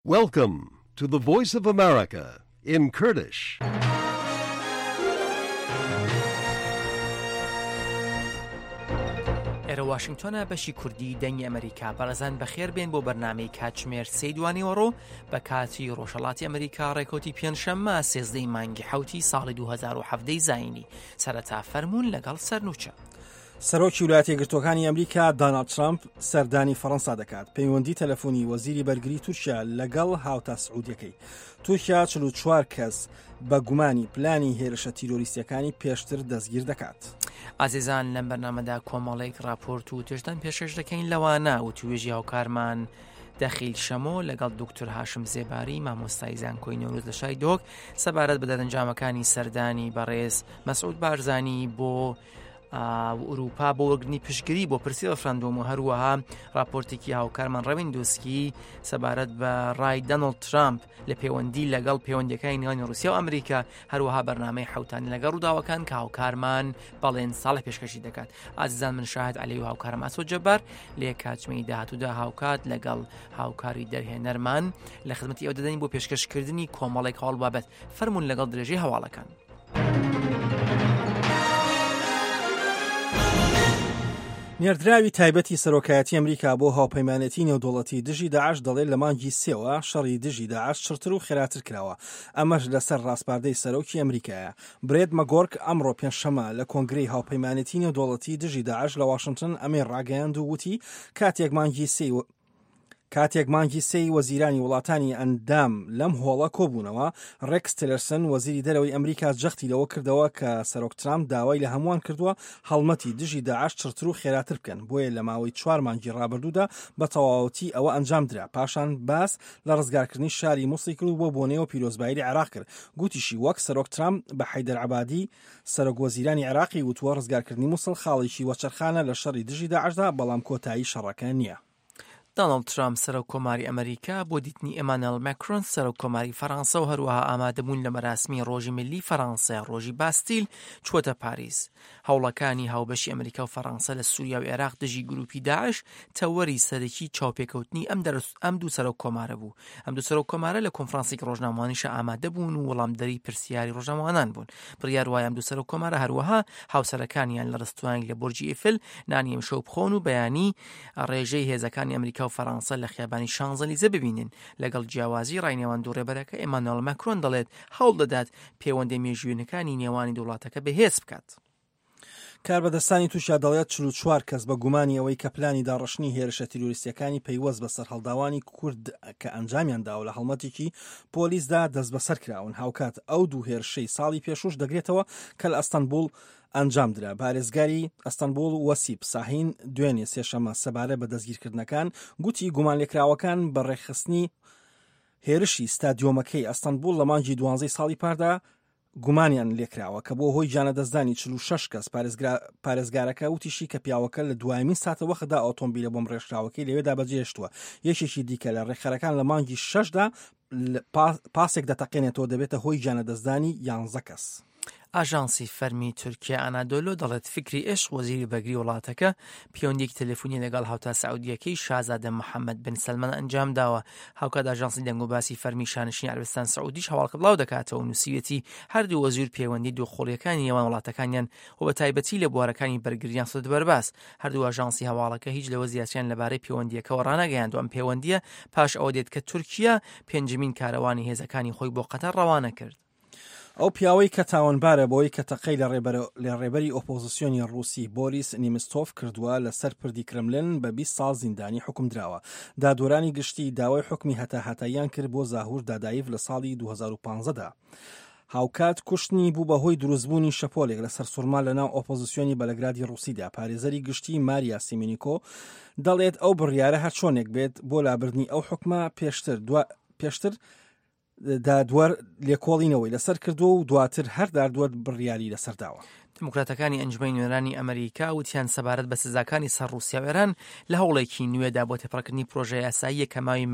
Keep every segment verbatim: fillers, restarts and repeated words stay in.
Welcome to the Voice of America in Kurdish. ئێرە واشنگتۆنە، بەشی کوردی دەنگی ئەمریکا. بەڕێزان بەخێر بێن بۆ بەرنامەی کاتژمێر سێی دوانیوەڕۆ بە کاتی ڕۆژهەڵاتی ئەمریکا، ڕێکەوتی پێنجشەممە سێزدەی مانگی حەوتی ساڵی دوو هەزار و حەڤدە زایینی. سەرەتا فەرموون لەگەڵ سەرنوچە. سەرۆکی ویلایەتە یەکگرتووەکانی ئەمریکا داناڵد ترامپ سەردانی فەڕەنسا دەکات. پەیوەندی تەلەفۆنی وەزیری بەرگری تورکیا لەگەڵ هاوتا سعودیەکەی. تورکیا چل و چوار کەس بە گومانی پلانی هێرشە تیرۆریستیەکانی پێشتر دەستگیر دەکات. ئازیزان لەم بەرنامەدا کۆمەڵێک راپۆرت و توێژتان پێشکەش دەکەین، لەوانە وتوێژی هاوکارمان دەخیل شەمۆ لەگەڵ دکتۆر هاشم زێباری مامۆستای زانکۆی نەورۆز لە شاری دۆک سەبارەت بە دەرەنجامەکانی سەردانی بەڕێز مەسعود بارزانی بۆ ئەوروپا بۆ وەرگرتنی پشتگیری بۆ پرسی ڕفراندۆم و هەروەها راپۆرتێکی هاوکارمان ڕەوین دۆسکی سەبارەت بە ڕای دانۆڵد ترامپ لە پەیوەندی لەگەڵ پەیوەندیەکانی نێوانی رووسیا و ئەمریکا، هەروەها بەرنامەی حوتانی لەگەڵ ڕووداوەکان کە هاوکارمان بەڵێن ساڵح پێشکەشی دەکات. ئازیزان من شاهد عەلی و هاوکارم ئاسۆ جەبار لە کاتژمێری داهاتوودا هاوکات لەگەڵ هاوکاری دەرهێنەرمان لە خزمەتی ئەو دەدەین بۆ پێشکەشکردنی کۆمەڵێک هەواڵ بابەت. فەرمونون لەگەڵ درێژەی هەواڵەکان. نێردراوی تایبەتی سەرۆکایەتی ئەمریکا بۆ هاوپەیمانێتی نێودەوڵەتی دژی داعش دەڵێت لە مانگی سێوە شەڕی دژی داعش چڕتر و خێراتر کراوە، ئەمەش لەسەر ڕاسپاردەی سەرۆکی ئەمریکایە. برێت مەگۆرک ئەمڕۆ پێنجشەممە لە کۆنگرەی هاوپەیمانێتی نێودەوڵەتی دژی داعش لە واشنگتن ئەمەی ڕاگەیاند و وتی کاتێک مانگی سێ کاتێک مانگی سێی وەزیرانی وڵاتانی ئەندام لەم هۆڵە کۆبوونەوە، ڕێکس تیلەرسن وەزیری دەرەوەی ئەمریکا جەختی لەوە کردەوە کە سەرۆک ترامپ داوای لە هەمووان کردووە هەڵمەتی دژی داعش چڕتر و خێراتر بکەن، بۆیە لە ماوەی چوار مانگی ڕابردوودا بە تەواوەتی ئەوە ئەنجام درا. پاشان باس لە ڕزگارکردنی شاری موسڵی کرد و بۆ بۆنەیەوە پیرۆزبایی لە عێراق کرد. گوتیشی وەک سەرۆک ترامپ بە حەیدەر عەبادی سەرۆک وەزیرانی عێراقی وتووە ڕزگارکردنی موسڵ خاڵێکی وەچەرخانە لە شەڕی دژی داعشدا، بەڵام کۆتایی شەڕەکە نییە. داناڵد ترامپ سەرۆک کۆماری ئەمریکا بۆ دیتنی ئێمانوێل ماکرۆن سەرۆک کۆماری فەرانسە و هەروەها ئامادەبوون لە مەراسمی ڕۆژی ملی فەرانسە ڕۆژی باستیل چووەتە پاریس. هەوڵەکانی هاوبەشی ئەمریکا و فەرانسە لە سووریا و عێراق دژی گروپی داعش تەوەری سەرەکی چاوپێکەوتنی ئەم ئەم دوو سەرۆک کۆمارە بوو. ئەم دوو سەرۆک کۆمارە لە کۆنفرانسێکی ڕۆژنامەوانیشە ئامادە بوون و وەڵامدەری پرسیاری ڕۆژنامەوانان بوون. بڕیار وایە ئەم دوو سەرۆک کۆمارە هەروەها هاوسەرەکانیان لە ڕستوانێک لە بۆرجی ئیفل نانی ئەمشەو بخۆن و بەیانی ڕێژەی هێزەکانی ئەمریکا و فەرانسە لە خیابانی شانزەلیزە ببینن. لەگەڵ جیاوازی ڕای نێوان دوو ڕێبەرەکە، ئێمانوێل ماکرۆن دەڵێت هەوڵ دەدات پەیوەندی مێژوویەکانی نێوانی دوو وڵاتەکە بەهێز بکات. کاربەدەستانی تورکیا دەڵێت چل و چوار کەس بە گومانی ئەوەی کە پلانی داڕشتنی هێرشە تیرۆریستیەکانی پەیوەست بە سەرهەڵداوانی کورد کە ئەنجامیان داوە لە هەڵمەتێکی پۆلیسدا دەستبەسەر کراون. هاوکات ئەو دوو هێرشەی ساڵی پێشوش دەگرێتەوە کە لە ئەستەنبوڵ ئەنجام درا. پارێزگاری ئەستەنبوڵ وەسیب ساهین دوێنێ سێشەممە سەبارەت بە دەستگیرکردنەکان گوتی گومانلێکراوەکان بە ڕێکخستنی هێرشی ستادیۆمەکەی ئەستەنبوڵ لە مانگی دوانزەی ساڵی پاردا گومانیان لێکراوە کە بۆ هۆی گیانلەدەستدانی چل و شەش کەس. پارێزگارەکە وتیشی کە پیاوەکە لە دوایمین ساتە وەختدا ئۆتۆمبیلە بۆم ڕێژکراوەکەی لەوێدا بەجێهێشتووە. یەکێکی دیکە لە ڕێکخەرەکان لە مانگی شەشدا پاسێک دەتەقێنێتەوە دەبێتە هۆی گیانلەدەستدانی یانزە کەس. ئاژانسی فەرمی تورکیا ئەنادۆلۆ دەڵێت فکری ئێش وەزیری بەرگری وڵاتەکە پەیوەندیەکی تەلەفۆنی لەگەڵ هاوتا سعودیەکەی شازادە محەممەد بن سەلمان ئەنجام داوە. هاوکات ئاژانسی دەنگوباسی فەرمی شانشینی عەرەبستان سعودیش هەواڵکە بڵاو دەکاتەوە و نووسیویەتی هەردوو وەزیر پەیوەندی دووقۆڵیەکانی نێوان وڵاتەکانیان و بە تایبەتی لە بوارەکانی بەرگریان خستۆتە بەرباس. هەردوو ئاژانسی هەواڵەکە هیچ لەوە زیاتریان لەبارەی پەیوەندیەکەوە ڕانەگەیاندووە. ئەم پەیوەندیە پاش ئەوە دێت کە تورکیا پێنجەمین کاروانی هێزەکانی خۆی بۆ قەتەر ڕەوانە کرد. ئەو پیاوەی کە تاوانبارە بۆی کە تەقەی لە ڕێبەری ئۆپۆزیسیۆنی ڕووسی بۆریس نیمستۆف کردووە لەسەر پردی کرملن بە بیست ساڵ زیندانی حکم دراوە. دادوەرانی گشتی داوای حکمی هەتا هەتاییان کرد بۆ زاهور دادایف لە ساڵی دوو هەزار و پازدە. هاوکات کوشتنی بوو بەهۆی دروستبوونی شەپۆلێک لەسەر سوورما لەناو ئۆپۆزیسیۆنی بەلگرادی ڕووسیدا. پارێزەری گشتی ماریا سیمینیکۆ دەڵێت ئەو بڕیارە هەرچۆنێک بێت بۆ لابردنی ئەو حکمە پێشتر پێشتر دادوەر لێکۆڵینەوەی لەسەر کردووە و دواتر هەر دادوەر بڕیاری لەسەر داوە. دموکراتەکانی ئەنجومەنی نوێنەرانی ئەمریکا وتیان سەبارەت بە سزاکانی سەر ڕووسیا و ئێران لە هەوڵێکی نوێدا بۆ تێپەڕکردنی پرۆژە یاساییە کە ماوەی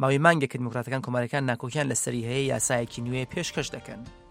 ماوەی مانگێک دموکراتەکان کۆماریەکان ناکۆکیان لەسەری هەیە یاسایەکی نوێ پێشکەش دەکەن.